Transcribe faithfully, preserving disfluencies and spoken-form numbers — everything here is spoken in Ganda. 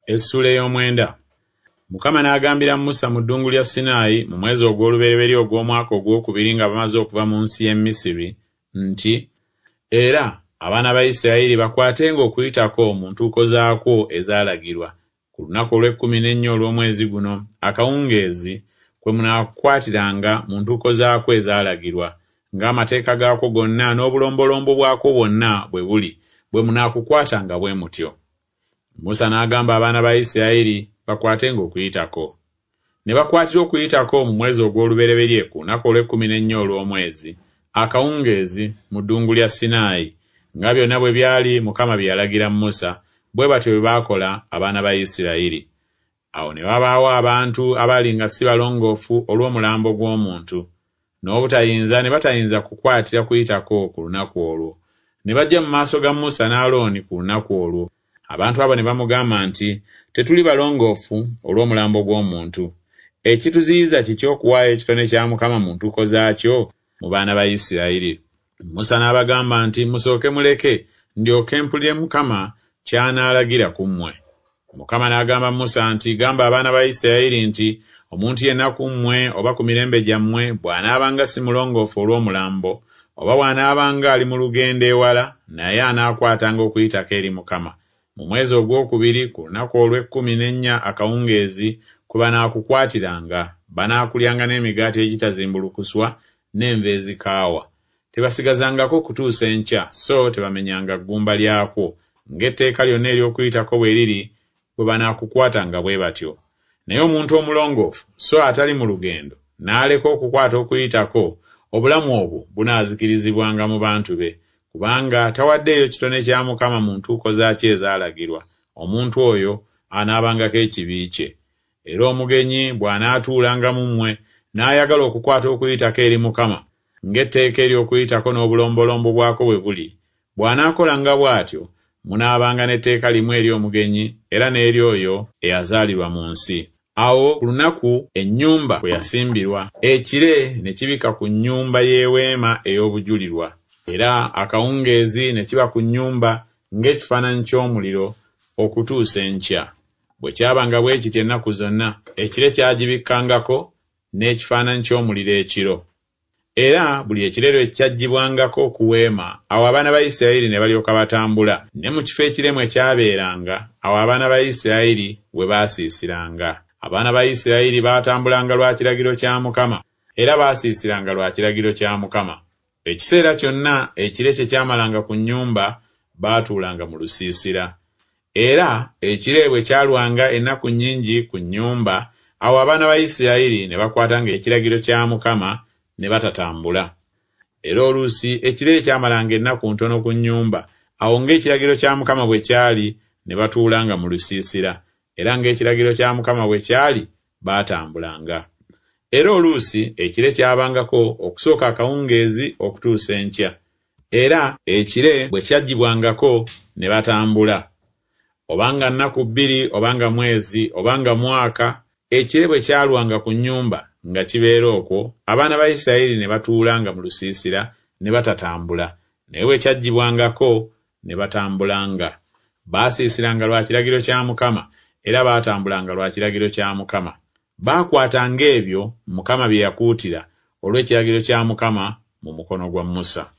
Essuula ey'omwenda. Mukama n'agambira Musa mu ddungu lya Sinaayi mu mwezi ogw'olubereberye ogw'omwaka ogwokubiri nga bamaze okuva mu nsi y'e Misiri nti, Era abaana ba Isirayiri bakwatenga Okuyitako mu ntuuko zaakwo ezaalagirwa, ku lunaku olw'ekkumi n'ennya olw'omwezi guno akawungeezi kwe munaakukwatiranga mu ntuuko zaakwo ezaalagirwa, ng'amateeka gaakwo gonna n'obulombolombo bwakwo bwonna bwe buli, bwe munaakukwatanga bwe mutyo. Musa n'agamba abaana ba Isirayiri bakwatenga Okuyitako. Ne bakwatira Okuyitako mu mwezi ogw'olubereberye ku lunaku olw'ekkumi n'ennya olw'omwezi, akawungeezi, mu ddungu lya Sinaayi, nga byonna bwe byali Mukama bye yalagira Musa, bwe batyo bwe baakola abaana ba Isirayiri. Awo ne wabaawo abantu abaali nga si balongoofu olw'omulambo gw'omuntu, n'obutayinza ne batayinza kukwatira Kuyitako ku lunaku olwo. Ne bajja mu maaso ga Musa ne Alooni ku lunaku olwo. Abantu abo ne bamugamba nti, Tetuli balongoofu olw'omulambo gw'omuntu. Ekituziyiza kiki okuwaayo ekitone kya Mukama mu ntuuko zaakyo mu baana ba Isirayiri? Musa n'abagamba nti, Musooke muleke, ndyoke mpulire Mukama ky'anaalagira ku mmwe. Mukama n'agamba Musa nti, Gamba abaana ba Isirayiri nti, Omuntu yenna ku mmwe oba ku mirembe gyammwe bw'anaabanga si mulongoofu olw'omulambo, oba bw'anaabanga ali mu lugendo ewala, naye anaakwatanga Okuyitako eri Mukama. Mu mwezi ogwokubiri ku lunaku olw'ekkumi n'ennya akawungeezi kwe banaakukwatiranga, banaakulyanga n'emigaati egitazimbulukuswa n'enva ezikaawa. Tebasigazangako kutuusa enkya, so tebamenyanga ggumba lyakwo, ng'etteeka lyonna ery'Okuyitako bwe liri, bwe banaakukwatanga bwe batyo. Naye omuntu omulongoofu so atali mu lugendo n'aleka okukwata Okuyitako, obulamu obwo bunaazikirizibwanga mu bantu be, kubanga tawaddeeyo kitone kya Mukama mu ntuuko zaakyo ezaalagirwa, omuntu oyo anaabangako ekibi kye. Era omugenyi bw'anaatuulanga mu mmwe n'ayagala okukwata Okuyitako eri Mukama, ng'etteeka ery'Okuyitako n'obulombolombo bwakwo bwe buli, bw'anaakolanga bw'atyo, munaabanga n'etteeka limu eri omugenyi era n'eri oyo eyazaalirwa mu nsi. Awo ku lunaku ennyumba kwe yasimbirwa, ekire ne kibikka ku nnyumba y'eweema ey'obujulirwa, era akawungeezi ne kiba ku nnyumba ng'ekifaananyi ky'omuliro okutuusa enkya. Bwe kyabanga bwe kityo ennaku zonna, ekire kyagibikkangako n'ekifaananyi ky'omuliro ekiro. Era buli ekire lwe kyaggyibwangako ku weema, awo abaana ba Isirayiri ne balyoka batambula, ne mu kifo ekire mwe kyabeeranga, awo abaana ba Isirayiri we baasiisiranga. Abaana ba Isirayiri baatambulanga lwa kiragiro kya Mukama, era baasiisiranga lwa kiragiro kya Mukama. Ekiseera kyonna ekire kye kyamalanga ku nnyumba, baatuulanga mu lusiisira. Era ekire bwe kyalwanga ennaku nnyingi ku nnyumba, awo abaana ba Isirayiri ne bakwatanga ekiragiro kya Mukama ne batatambula. Era oluusi ekire kyamalanga ennaku ntono ku nnyumba, awo ng'ekiragiro kya Mukama bwe kyali, ne batuulanga mu lusiisira, era ng'ekiragiro kya Mukama bwe kyali, baatambulanga. Era oluusi ekire kyabangako okusooka akawungeezi okutuusa enkya, era ekire bwe kyaggyibwangako ne batambula. Obanga nnaku bbiri, obanga mwezi, obanga mwaka, ekire bwe kyalwanga ku nnyumba nga kibeera okwo, abaana ba Isirayiri ne batuulanga mu lusiisira ne batatambula, naye bwe kyaggyibwangako ne batambulanga. Baasiisiranga lwa kiragiro kya Mukama, era baatambulanga lwa kiragiro kya Mukama. Baakwatanga ebyo Mukama bye yakuutira olw'ekiragiro kya Mukama mu mukono gwa Musa.